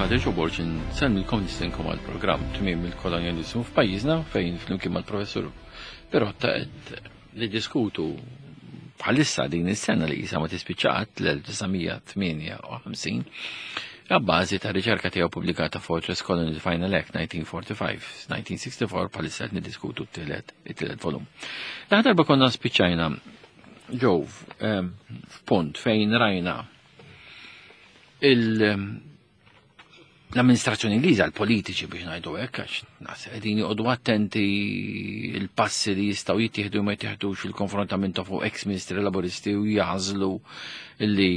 Patriċ Joe Borg nsellmilkom nistenkom għall-programm Tmiem il-Kolonjaliżmu f'pajjiżna fejn flimkien mal-Professur Pirotta qed niddiskutu bħalissa din is-sena li qisha ma tispiċċa qatt l-1958 għabbażi ta' riċerka tiegħu pubblikata Fortress Colony Final Act 1945-1964 bħalissa qed niddiskutu t-tielet it-tielet volum. L-aħħar darba konna spiċċajna ġew f'punt fejn rajna l-amministrazzjoni Ingliża, l-politiċi biex ngħidu hekk, għax nas qegħdin joqogħdu attenti il-passi li jistgħu jittieħdu ma jittieħdux il-konfrontament fuq ex-ministri laboristi u jażlu li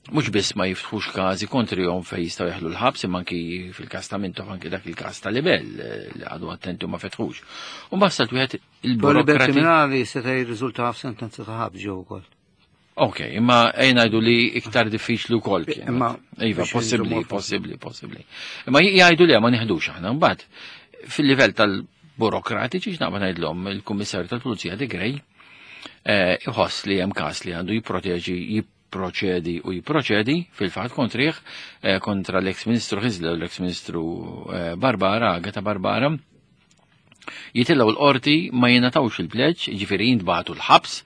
mhux biss ma jiftħux każi kontrihom fejn jistgħu jeħlu l-ħabs imma anki fil-każ ta' Mintoff anki dak il-każ ta' Libel li għadu attenti u ma fetħux. U mbagħad wieħed il-burokrati. kriminali seta' jirriżulta f'sentenza ta' ħabs ġew ukoll. Ok, imma ejn ngħidu li iktar diffiċli wkoll kien. Imma iva, possibbli, possibbli, possibbli. Imma jgħidu li ma nieħdux aħna mbagħad fil-livell tal-burokratiċi x'naqbad ngħidlhom il-Kummissarju tal-Pulizija De Grey eh, iħoss li hemm każ li għandu jipproteġi jipproċedi u jipproċedi fil-fatt kontrih eh, kontra l-eks Ministru Ħiżla u l-eks Ministru eh, Barbara, Agata Barbara, jitilgħu l-qorti ma jingħatawx il-pleġġ, jiġifieri jintbagħtu l-ħabs,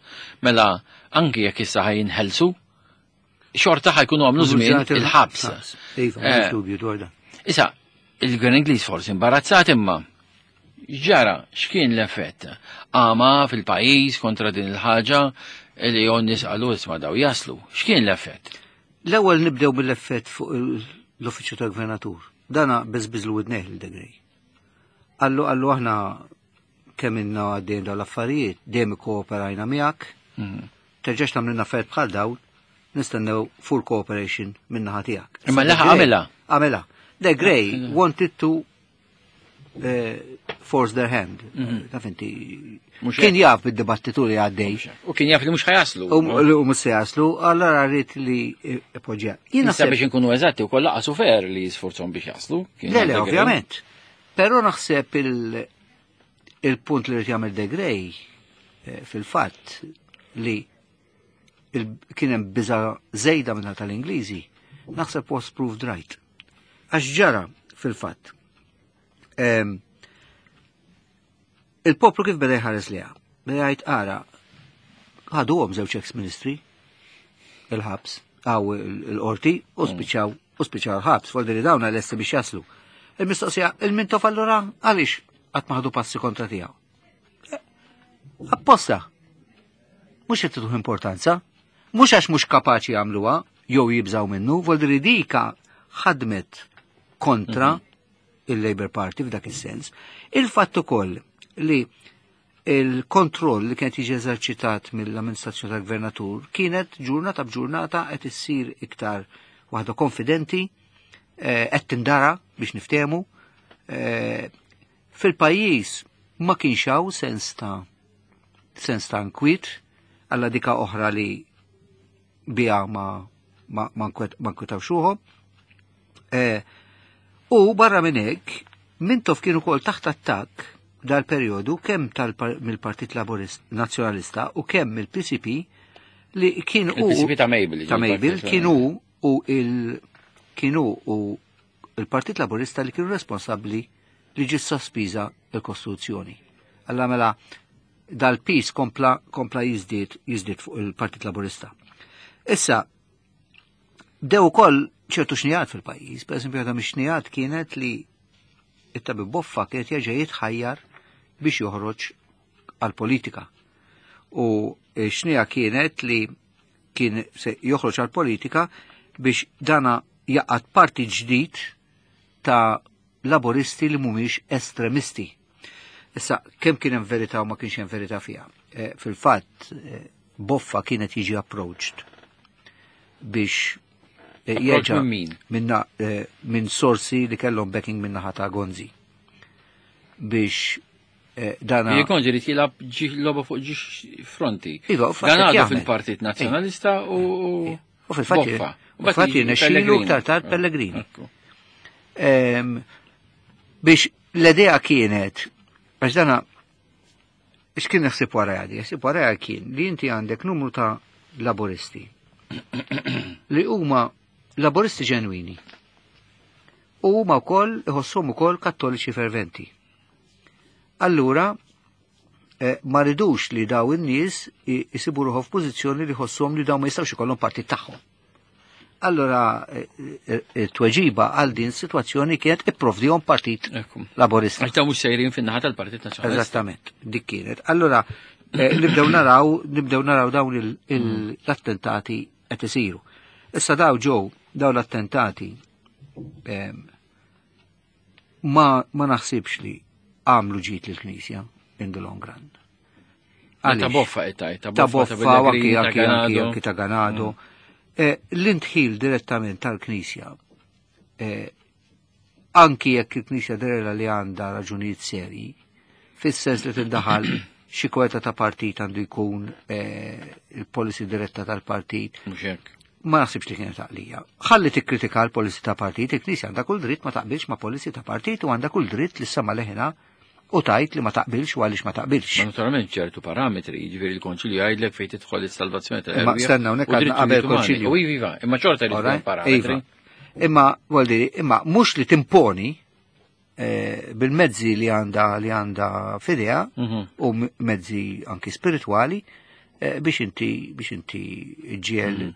mela anki jekk issa ħajinħelsu, xorta ħajkunu għamlu żmien il-ħabs. Iva, eh, dubju dwar dan. Issa, il-gvern Ingliż forsi imbarazzat imma ġara x'kien l-effett? Għama fil-pajjiż kontra din il-ħaġa li jon nies qalu isma' daw jaslu. X'kien l-effett? L-ewwel nibdew mill-effett fuq l-uffiċċju tal-gvernatur. Dana beżbiżlu widnejh lil Degrej. Qallu qallu aħna kemm inna għaddejn dawn l-affarijiet, dejjem ikkooperajna miegħek, mhm. terġax tagħmlilna affarijiet bħal dawn, nistennew full cooperation min-naħa tiegħek. Imma laħ għamilha. Għamilha. The Grey ah, wanted to eh, force their hand. Mhm. Taf inti. Kien jaf bid-dibattitu li għaddej. U kien jaf li mhux ħajaslu. U mhux se jaslu, allora rrid li poġġja. Jiena biex inkunu eżatti wkoll laqas fer li jisforzhom biex jaslu. Le, le, ovvjament. Però naħseb il-punt li rrid jagħmel De Grey eh, fil-fatt li kien hemm biża żejda minn tal-Ingliżi, naħseb was proved right. Għax ġara fil-fatt. Il-poplu kif beda jħares liha? Beda jgħid ara, ħaduhom żewġ ex-ministri il-ħabs, għaw il-qorti u mm. spiċċaw u spiċċaw il-ħabs, fuq li dawn lesti biex jaslu. Il-mistoqsija, il-Mintoff allura għaliex qatt ma ħadu passi kontra tiegħu? Eh, apposta. Mhux qed tieħu importanza, mhux għax mhux kapaċi jagħmluha jew jibżaw minnu, voldri dika ħadmet kontra mhm. il-Labour Party f'dak is-sens. Il-fatt ukoll li il-kontroll li kienet jiġi eżerċitat mill-amministrazzjoni tal-gvernatur kienet ġurnata b'ġurnata qed issir iktar waħda konfidenti, eh, qed tindara biex niftehmu. Eh, fil-pajjiż ma kienx hawn sens ta' sens ta' nkwiet alla dika oħra li biha ma ma ma nkwetawx ruħhom. Eh, u barra minn hekk, Mintoff kien ukoll taħt attakk dal-perjodu kemm mill-Partit Laburist Nazzjonalista u kemm mill-PCP li kien u Il-PCP ta' Mabel. Ta' Mabel kienu u il kienu u il-Partit Laburista li kienu responsabbli li ġiet sospiża il-Kostituzzjoni. Alla mela dal-pis kompla kompla jiżdied jiżdied fuq il-Partit Laburista. Issa, Bdew ukoll ċertu xnijat fil-pajjiż, per eżempju għadha mix-xnijat kienet li it-tabib Boffa kienet jerġa' jitħajjar biex joħroġ għal-politika. U xnija kienet li kien se joħroġ għal-politika biex dana jaqgħad parti ġdid ta' laboristi li mhumiex estremisti. Issa, kemm kien hemm verità u ma kienx hemm verità fiha. Eh, fil-fatt, eh, Boffa kienet jiġi approached biex eh, jerġa' minna eh, minn sorsi li kellhom backing minna ħata Gonzi biex eh, dana. Gonzi li tilab logħba fuq ġiex fronti. Iva, Dan għadu fil-Partit Nazzjonalista u U fil-fatt U fil-fatt jirnexxilu iktar tard Pellegrini. Ehm, biex l-idea kienet, għax dana X'kien ħsieb wara għadi? Ħsieb wara kien li inti għandek numru ta' laboristi li huma laboristi ġenwini. U huma wkoll iħossuhom ukoll kattoliċi ferventi. Allura, ma ridux li daw in-nies isibu ruħhom f'pożizzjoni li jħossuhom li daw ma jistgħux ikollhom partit tagħhom. Allora, it-tweġiba għal din situazzjoni kienet ipprovdihom partit laborista. Għax dawn mhux sejrin fin-naħa tal-Partit Nazzjonalista. Eżattament, dik kienet. Allora, nibdew naraw, nibdew naraw dawn l-attentati qed isiru. Issa daw ġew daw l-attentati ma naħsibx li għamlu ġid lill-Knisja in the long run. Ta' boffa qed tgħid, ta' boffa, ta' anki ta' Ganado. L-intħil direttament tal-Knisja, anki jekk il-Knisja derela li għandha raġunijiet serji, fis-sens li tindaħal xi kweta ta' partit għandu jkun il-policy diretta tal-partit. Mhux hekk. Ma naħsibx li kienet għaqlija. Ħalli tikkritika l-policy ta' partit, il-Knisja għandha kull dritt ma taqbilx ma' policy ta' partit u għandha kull dritt li sema leħina u tajt li ma taqbilx u għaliex ma taqbilx. Ma naturalment ċertu parametri, jiġifieri l-Konċilju jgħidlek fejn tidħol is-salvazzjoni tal Imma stenna hawnhekk għandna qabel Konċilju. U iva, imma xorta li tkun parametri. Imma vuol imma mhux li timponi bil-mezzi li għandha li għandha f'idea u mezzi anki spiritwali biex inti ġiel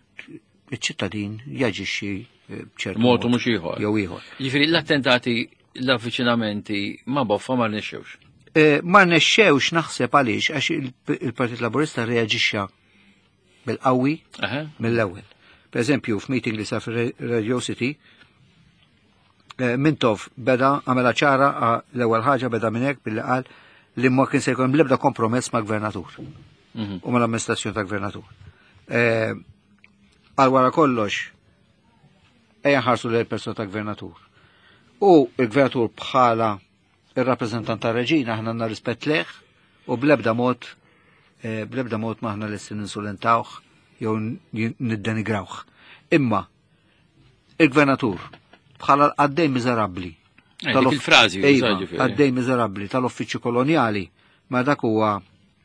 iċ-ċittadin jaġixxi b'ċertu mod mhux ieħor. Jew ieħor. Jiġifieri l-attentati l-avviċinamenti ma' boffa ma rnexxewx. Ma rnexxewx naħseb għaliex għax il-Partit Laburista reaġixxa bil-qawwi mill-ewwel. Per eżempju, f'meeting li sar fir-Radio City, Mintoff beda għamela ċara l-ewwel ħaġa beda minn hekk billi qal li ma kien se jkun l-ebda kompromess ma' gvernatur u mal-amministrazzjoni ta' gvernatur. Għal wara kollox, ejja nħarsu lejn persuna ta' gvernatur. U il-gvernatur bħala il-rappreżentant ta' reġina aħna għandna rispett leh u bl-ebda mod ma aħna lesti ninsulentawh jew niddenigrawh. Imma il-gvernatur bħala l-qaddej miżerabbli. Il-frażi qaddej miżerabbli tal-uffiċċju kolonjali, ma dak huwa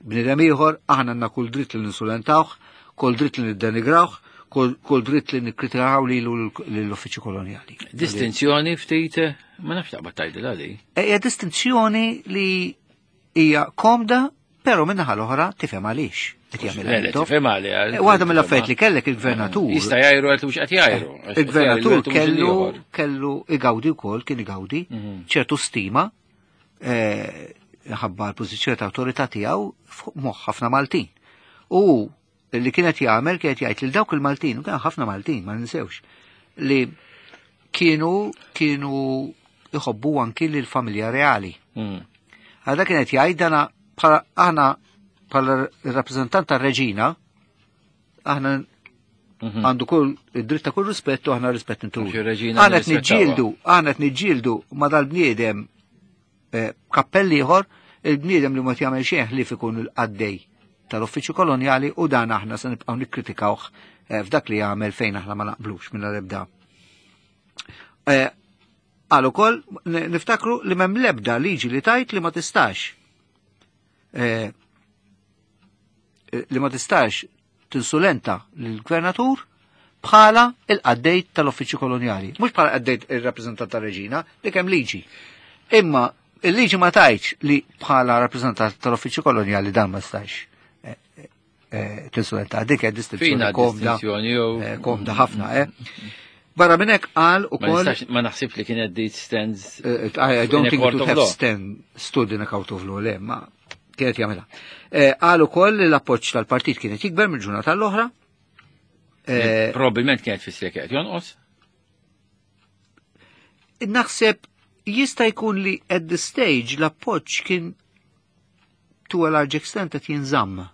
bniedem ieħor, aħna għandna kull dritt li ninsulentawh, kull dritt li niddenigrawh, kull dritt li nikkritikaw lilu l-uffiċċju kolonjali. Distinzjoni ftit, ma nafx taqbad tgħidilha di. Hija distinzjoni li hija komda, però min-naħa l-oħra tifhem għaliex. Qed jagħmilha Mintoff. Tifhem għaliex. Waħda mill-affarijiet li kellek il-gvernatur. Jista' jgħiru qed mhux qed jgħiru. Il-gvernatur kellu igawdi wkoll, kien igawdi ċertu stima ħabba l-pożizzjoni ta' awtorità tiegħu fuq moħħ ħafna Maltin. U li kienet jagħmel kienet jgħid lil dawk il-Maltin, u kien ħafna Maltin, ma ninsewx, li kienu iħobbu anki lil familja reali. Għadha kienet jgħid dana bħala aħna bħala rappreżentant tar-reġina, aħna għandu kull id-dritt ta' kull rispett u aħna rispett intu. Aħna qed niġġieldu, aħna qed niġġieldu ma' dal-bniedem kappell ieħor, il-bniedem li ma jagħmel xejn ħlief ikun il-qaddej tal-uffiċċju kolonjali u dan aħna se nibqgħu nikkritikawh f'dak li jagħmel fejn aħna ma naqblux minn l-ebda. Qal ukoll niftakru li m'hemm l-ebda liġi li tajt li ma tistax li ma tistax tinsulenta lill-gvernatur bħala il-qaddej tal-uffiċċju kolonjali. Mhux bħala qaddej ir-rappreżentant tar-reġina li kemm liġi. Imma il-liġi ma tajtx li bħala rappreżentant tal-uffiċċju kolonjali dan ma stax tinsulenta. Dik hija distinzjoni komda. Komda ħafna, Barra minn hekk qal ukoll ma naħsibx li kienet dit stands. I don't think it would have stood in a court of law, le, ma kienet jagħmilha. Qal ukoll li l-appoġġ tal-partit kienet jikber mill-ġurnata l-oħra. Probabilment kienet fissir kienet jonqos. Naħseb jista' jkun li at the stage l-appoġġ kien to a large extent qed jinżamm.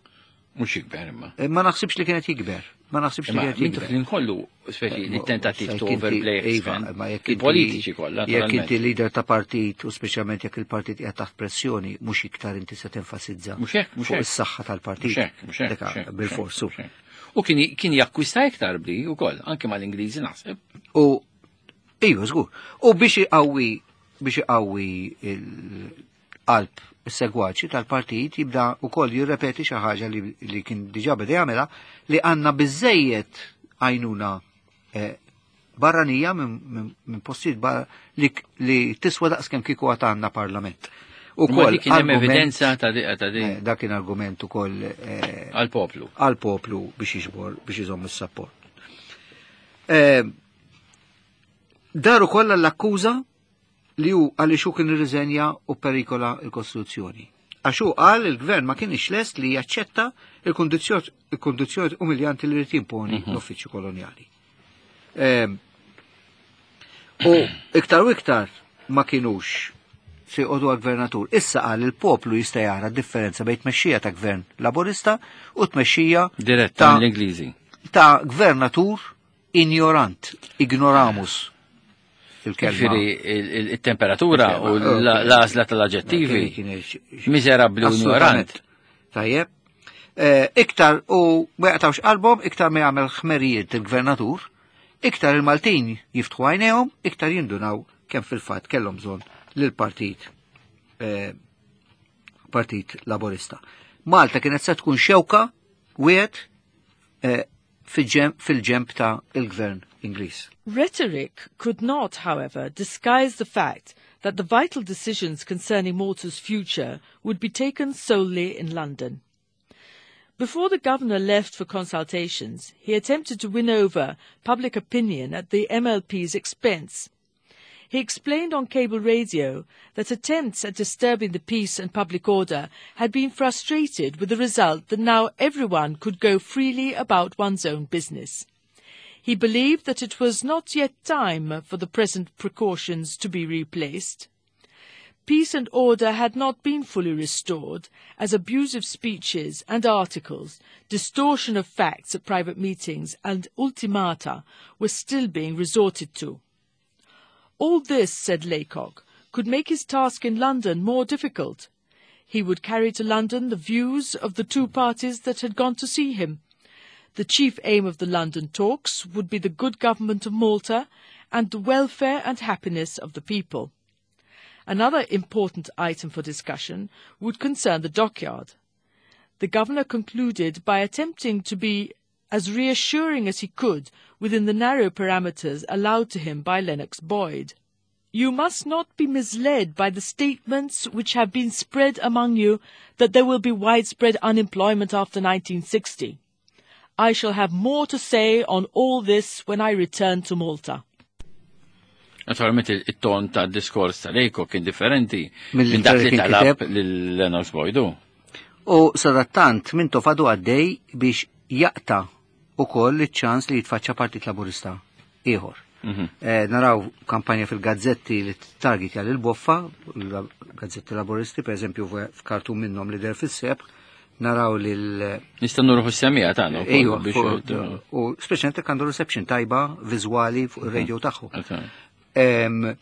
Mhux jikber imma. Ma naħsibx li kienet jikber. Ma naħsibx li kienet jikber. Mintoff kollu speċi li tentattiv to overplay il-politiċi kollha. Jekk inti leader ta' partit u speċjalment jekk il-partit qiegħed taħt pressjoni, mhux iktar inti se tenfasizza fuq is-saħħa tal-partit. Mhux hekk, bil-forsu. U kien jakkwista iktar bli wkoll, anke mal-Ingliżi naħseb. U iva żgur. U biex iqawwi il-qalb is-segwaċi tal-partit jibda wkoll jirrepeti xi ħaġa li kien diġà beda jagħmilha li għandna biżejjed għajnuna barranija minn postijiet li, li tiswa daqskemm kieku għad għandna parlament. Ukoll kien hemm evidenza ta' di ta' di. Eh, dak kien argument ukoll eh, għall-poplu. Għall-poplu biex jiġbor biex iżomm is-sapport. Eh, dar ukoll l-akkuża li hu għaliex hu kien irriżenja u perikola l-Kostituzzjoni. Għax hu qal il-gvern ma kienx lest li jaċċetta il-kundizzjoni umiljanti li rrid jimponi mhm. l-uffiċċju kolonjali. Ehm, u iktar u iktar ma kienux se jqogħdu għal-gvernatur. Issa qal il-poplu jista' jara differenza bejn tmexxija ta' gvern laburista u tmexxija diretta mill-Ingliżi. Ta' gvernatur Ignorant, ignoramus. Il-kelma. Ġifieri il-temperatura u l-għażla tal-aġġettivi. Miżerabbli u ignorant. Tajjeb. Eh, iktar u ma jaqtawx qalbhom, iktar ma jagħmel ħmerijiet il-gvernatur, iktar il-Maltin jiftħu għajnejhom, iktar jindunaw kemm fil-fatt kellhom bżonn lill-partit eh, Partit Laburista. Malta kienet se tkun xewka wieħed eh, fil-ġenb ta' il-gvern Ingliż. Rhetoric could not, however, disguise the fact that the vital decisions concerning Malta's future would be taken solely in London. Before the governor left for consultations, he attempted to win over public opinion at the MLP's expense. He explained on cable radio that attempts at disturbing the peace and public order had been frustrated with the result that now everyone could go freely about one's own business. He believed that it was not yet time for the present precautions to be replaced. Peace and order had not been fully restored, as abusive speeches and articles, distortion of facts at private meetings and ultimata were still being resorted to. All this, said Laycock, could make his task in London more difficult. He would carry to London the views of the two parties that had gone to see him. The chief aim of the London talks would be the good government of Malta and the welfare and happiness of the people. Another important item for discussion would concern the dockyard. The governor concluded by attempting to be as reassuring as he could within the narrow parameters allowed to him by Lennox Boyd. You must not be misled by the statements which have been spread among you that there will be widespread unemployment after 1960. I shall have more to say on all this when I return to Malta. Naturalment it-ton ta' diskors tal-Eko kien differenti minn dak li talab lil-Lennox Boydu. U sadattant minn tofadu għaddej biex jaqta' ukoll iċ-ċans li jitfaċċa Partit Laburista ieħor. Mhm. Eh, naraw kampanja fil-gazzetti li target għal il-boffa, gazzetti laburisti, per eżempju f'kartun minnhom li der fis-sebħ, naraw li l- Nista' nurħu s-semija tagħna wkoll biex. U speċjalment għandu reception tajba viżwali fuq ir-radio mhm. tagħhom. Eh,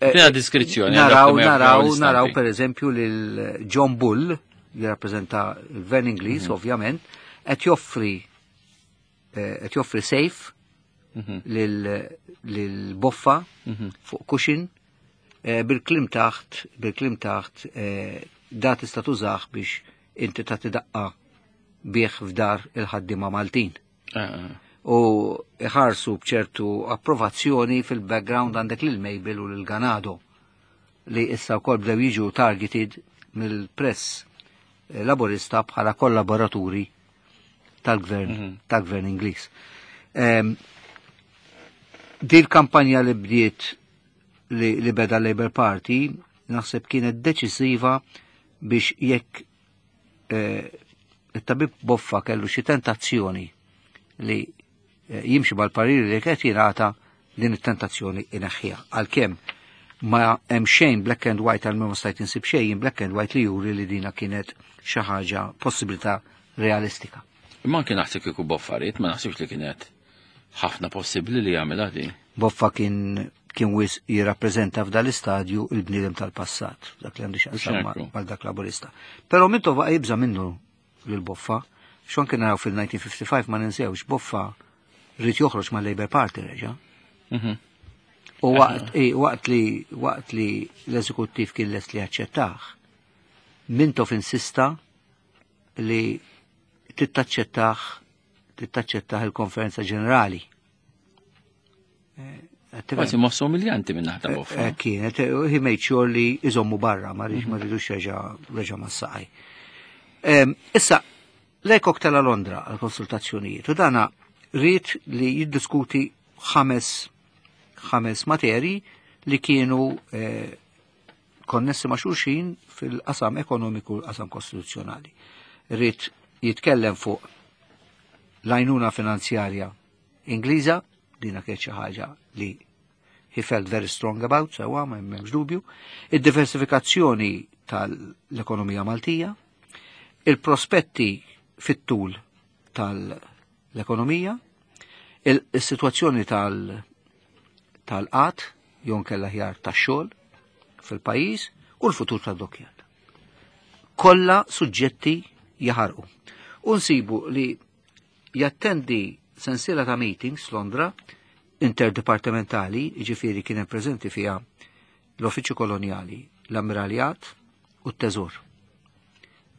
Fina diskrizzjoni. Naraw, naraw, naraw per eżempju lil John Bull, li rappresenta il-Gvern Ingliż, mhm. ovvjament, qed joffri eh, qed joffri safe mhm. lil boffa mhm. fuq cushion eh, bil-klim taħt, bil-klim taħt da tista' tużah biex inti tagħti daqqa bih f'dar il-ħaddiema Maltin. Ah, ah. U iħarsu bċertu approvazzjoni fil-background għandek lil Mabel u lil Ganado li issa wkoll bdew jiġu targeted mill-press eh, laburista bħala kollaboraturi tal-gvern mhm. tal-gvern Ingliż. Ehm, Dil kampanja li bdiet li, li beda Labour Party naħseb kienet deċisiva biex jekk eh, it-tabib Boffa kellu xi tentazzjoni li eh, jimxi mal-pariri li qed jingħata din it-tentazzjoni ineħħiha. Għalkemm ma hemm xejn black and white għal ma stajt insib xejn black and white li juri li dina kienet xi ħaġa possibilità realistika. Imma anke naħseb kieku Boffa ried, ma naħsibx li kienet ħafna possibbli li jagħmilha din. Boffa kien kien wis jirrappreżenta f'dal istadju il-bniedem tal-passat, dak li għandu x'jaqsam mal dak laburista. Però Mintoff baqa' jibża' minnu lil Boffa, xon kien naraw fil-1955 ma ninsewx Boffa rrid joħroġ mal-Labour Party reġa'. Mhm. U waqt, waqt li waqt li l-eżekuttiv kien lest li jaċċettah, Mintoff insista li tittaċċettah tittaċċettah il-konferenza ġenerali. Kważi mossa umiljanti minn naħta boffa. Kienet, he made sure li iżommu barra, ma rridx ma rridux reġa' mas-saqaj. Issa, Laycock tela Londra għal konsultazzjonijiet u dana ried li jiddiskuti ħames materi li kienu konnessi ma' xulxin fil-qasam ekonomiku u l-qasam kostituzzjonali. Ried jitkellem fuq l-għajnuna finanzjarja Ingliża, dina kienet xi ħaġa li he felt very strong about, sewa ma hemmx dubju, id-diversifikazzjoni tal-ekonomija Maltija, il-prospetti fit-tul tal-ekonomija, il-sitwazzjoni tal-qat, jew nkella ħjar tax-xogħol fil-pajjiż u l-futur tad-dockyard. Kollha suġġetti jaħarqu. U nsibu li jattendi sensiela ta' meetings Londra interdepartementali, jiġifieri kien hemm preżenti fiha l-Uffiċċju Kolonjali, l-Ammiraljat u t-Teżor.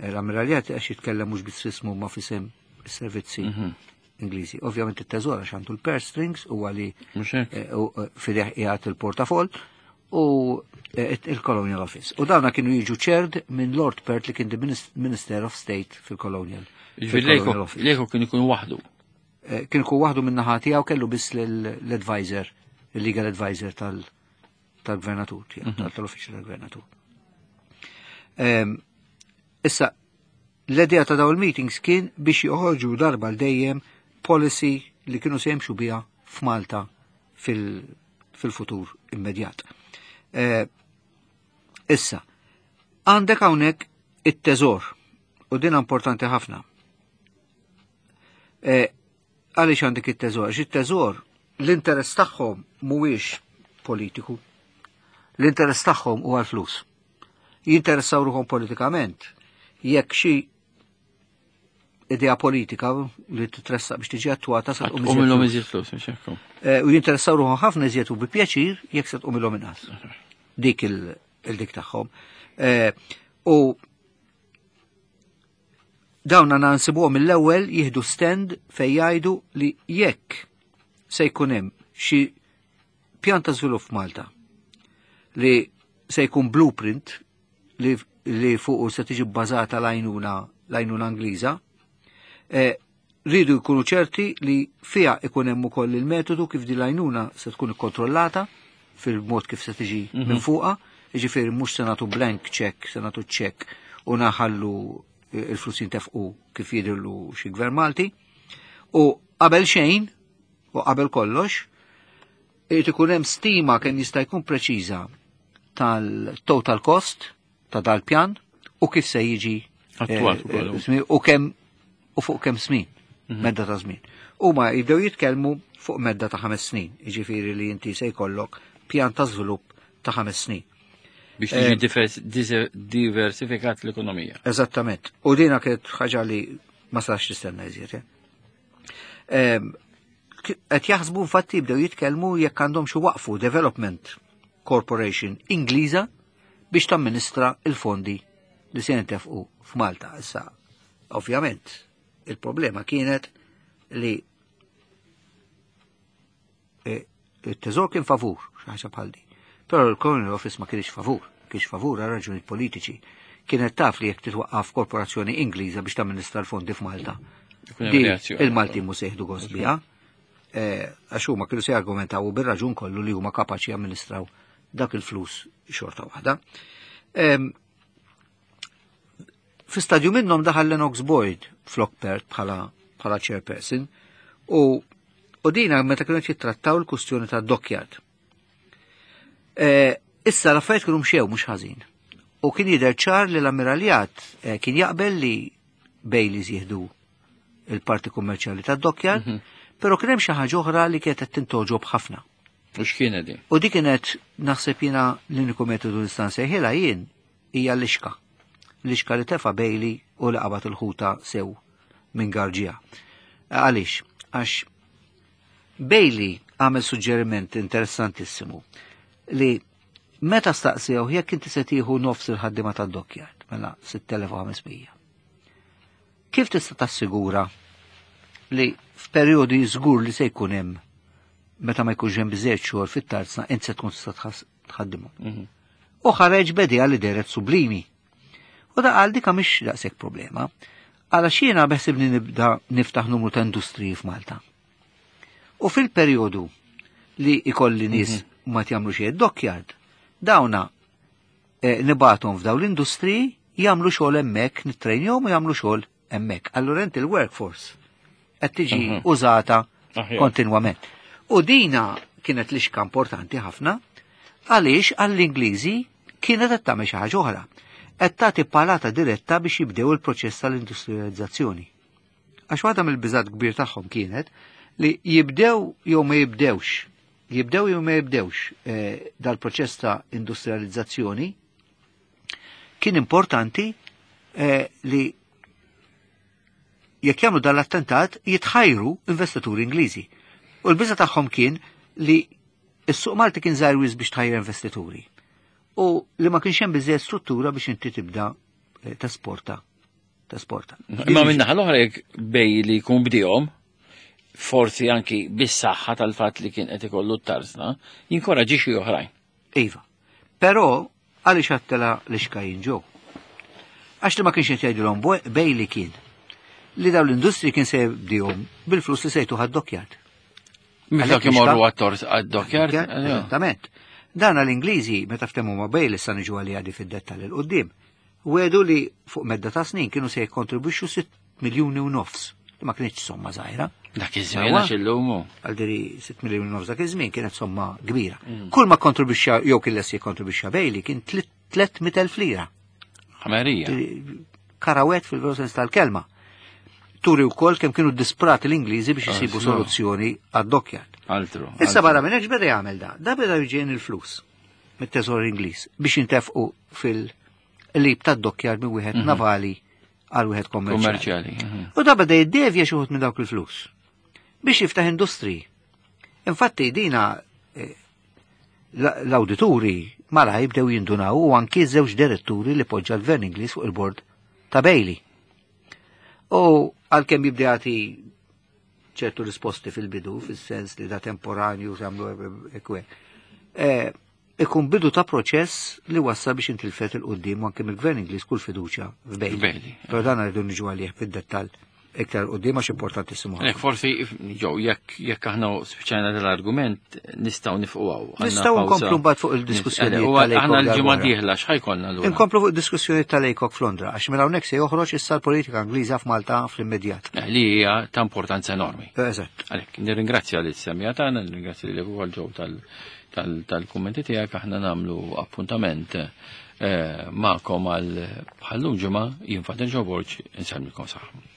L-Ammiraljat għax jitkellem mhux biss ismu ma fisem is-servizzi Ingliżi. Ovvjament it-Teżor għax għandu l-purse strings u għali fideh qiegħed il-portafoll u il-Colonial Office. U dawna kienu jiġu chaired minn Lord Perth li kien the Minister of State fil-Colonial. Jiġifieri Laycock kien ikun waħdu. Kien ikun waħdu minn naħa tiegħu, kellu biss l-advisor, il-legal advisor tal-gvernatur, tal-uffiċċju tal-gvernatur. Issa, l-idea ta' dawn il-meetings kien biex joħorġu darba l dejjem policy li kienu se jimxu biha f'Malta fil-futur immedjat. Issa, għandek hawnhekk it-teżor, u din importanti ħafna. Għaliex għandek it-teżor? Għax it-teżor, l-interess tagħhom mhuwiex politiku. L-interess tagħhom huwa l-flus. Jinteressaw ruħhom politikament. Jekk xi idea politika li titressaq biex tiġi attuata se tqum Tqum ilhom iżjed iżjed flus, mhux hekk. U jinteressaw ruħhom ħafna iżjed u bi pjaċir jekk se tqum ilhom inqas. Dik il-dik tagħhom. U dawn għandna nsibuhom mill-ewwel jieħdu stand fejn jgħidu li jekk se jkun hemm xi pjan ta' żvilupp f'Malta li se jkun blueprint li fuqu se tiġi bbażata l-għajnuna Ingliża, rridu jkunu ċerti li fiha ikun hemm ukoll il-metodu kif din l-għajnuna se tkun ikkontrollata fil-mod kif se tiġi minn fuqha, jiġifieri mhux se nagħtu blank check, se nagħtu check u naħallu il-flus jintefqu kif jidhirlu xi gvern Malti. U qabel xejn, u qabel kollox, irid ikun hemm stima kemm jista' jkun preċiża tal-total cost ta' dal-pjan u kif se jiġi, Attuat ukoll. u kemm u fuq kemm snin, medda ta' żmien. Huma jibdew jitkellmu fuq medda ta' 5 snin, jiġifieri li inti se jkollok pjan ta' żvilupp ta' 5 snin. Biex tiġi diversifikat l-ekonomija. Eżattament. U dina kienet ħaġa li ma sax tistenna iżjed. Qed jaħsbu infatti jibdew jitkellmu jekk għandhom xi waqfu Development Corporation Ingliża biex tamministra il-fondi li se jintefqu f'Malta. Issa, ovvjament, il-problema kienet li il-teżor kien favur, xi ħaġa bħal di. Però l-Colonial Office ma kienx favur, kienx favur għal raġunijiet politiċi. Kienet taf li jekk titwaqqaf korporazzjoni Ingliża biex tamministra l-fondi f'Malta. Ikun hemm Di reazzjoni. il-Malti mhux se jieħdu gost biha. Għax huma kienu se jargumentaw bir-raġun kollu li huma kapaċi jamministraw dak il-flus xorta waħda. Fi stadju minnhom daħal Lennox Boyd flok Perth bħala chairperson u dina meta kienu jittrattaw l-kustjoni ta' dockyard. Issa l-affarijiet kienu mxew mhux ħażin. U kien jidher ċar li l-ammiraljat kien jaqbel li Baileys jieħdu il-parti kummerċjali ta' dockyard, però kien hemm xi ħaġa oħra li kienet qed tintoġob ħafna. U x'kienet din? U dik kienet naħseb jiena l-uniku metodu li nista' nsejħilha jien hija l-ixka. L-ixka li tefa' Bailey u li qabad il-ħuta sew minn Garġija. Għaliex? Għax Bailey għamel suġġeriment interessantissimu li meta staqsew jekk inti se tieħu nofs il-ħaddiema tad-dockyard, mela 6500. Kif tista' tassigura li f'perjodi żgur li se jkun hemm Meta ma jkunx hemm biżejjed xogħol fit-tarzna int se tkun tista' tħaddimhom. U ħareġ b'idea li dehret sublimi. U da qal dika mhix daqshekk problema. Għala jiena beħsibni nibda niftaħ numru ta' industriji f'Malta. U fil-perjodu li ikolli nies ma jagħmlu xejn dockyard, dawna nibgħathom f'daw l-industriji jagħmlu xogħol hemmhekk, nittrejnjhom u jagħmlu xogħol hemmhekk. Allura inti l-workforce qed tiġi użata kontinwament. U dina kienet lixka importanti ħafna għaliex għall-Ingliżi kienet qed tagħmel xi ħaġa oħra. Qed tagħti palata diretta biex jibdew il-proċess tal-industrializzazzjoni. Għax waħda mill-biżat kbir tagħhom kienet li jibdew jew ma jibdewx, jibdew jew ma jibdewx dal-proċess ta' industrializzazzjoni, kien importanti li jekk jagħmlu dal-attentat jitħajru investituri Ingliżi. U l-biża tagħhom kien li s-suq Malti kien żgħir wisq biex tħajjer investituri. U li ma kienx hemm biżejjed struttura biex inti tibda tesporta. Tesporta. Imma minn naħa l-oħra jekk Bailey jkun bdihom, forsi anki bis-saħħa tal-fatt li kien qed ikollu t-tarzna, jinkoraġixxi oħrajn. Iva. Però għaliex għattela l-ixkajin ġew? Għax li ma kienx qed jgħidilhom Bailey kien li dawn l-industri kien se jibdihom bil-flus li se jtuha d-dockyard. Miflok Għalhekk imorru lixka- għad-dockyard? Eżattament. Dan l-Ingliżi meta ftehmu ma' Bailey sa niġu għalija di fid-dettall 'il quddiem. Wedu li fuq medda ta' snin kienu se jikkontribwixxu 6 miljuni u nofs. Li ma kienx somma żgħira. Dak iż-żmien għax illum. Għal diri 6 miljuni u nofs dak iż-żmien kienet somma kbira. Kull ma kontribwixxa jew kien lest jikkontribwixxa Bailey kien 300,000 lira. Ħamerija. Karawet fil-veru sens tal-kelma. Turi wkoll kemm kienu disprati l-Ingliżi biex isibu soluzzjoni għad-dockyard. Altru. Issa barra minn hekk beda jagħmel da. Da beda jġien il-flus mit-teżor Ingliż biex jintefqu fil-lib tad-dockyard minn wieħed navali għal wieħed kommerċjali. Kommerċjali. U da beda jiddevja xi wħud minn dawk il-flus biex jiftaħ industriji. Infatti dina l-awdituri malaj bdew jindunaw u anki żewġ diretturi li poġġa l-Gvern Ingliż fuq il-bord ta' Bailey. U għalkemm jibda jagħti ċertu risposti fil-bidu, fis-sens li da temporanju jagħmlu ekwe. Ikun bidu ta' proċess li wassal biex intilfet il-qoddim u anke mill-Gvern Ingliż kull fiduċja f'Bailey. F'Bailey. Però dan rridu niġu għalih fid-dettall iktar qoddim għax importantissimu ħafna. Jekk forsi, jew, jekk aħna spiċċajna dal-argument, nistgħu nifqu hawn. Għandna Nistgħu pawża. nkomplu mbagħad fuq il-diskussjoni tal-ACOG Aħna l-ġimgħa darb'oħra. dieħla x'ħajkollna lura? Inkomplu fuq id-diskussjoni tal-ACOG f'Londra, għax minn hawnhekk se joħroġ issa l-politika Ingliża f'Malta fl-immedjat. Li hija ta' importanza enormi. Eżatt. Għalhekk, nirringrazzja lil semija tagħna, nirringrazzja lilek ukoll ġew tal-kummenti tiegħek, aħna nagħmlu appuntament magħkom għal bħallum ġimgħa, jien Father Joe Borg, insellmilkom saħħa.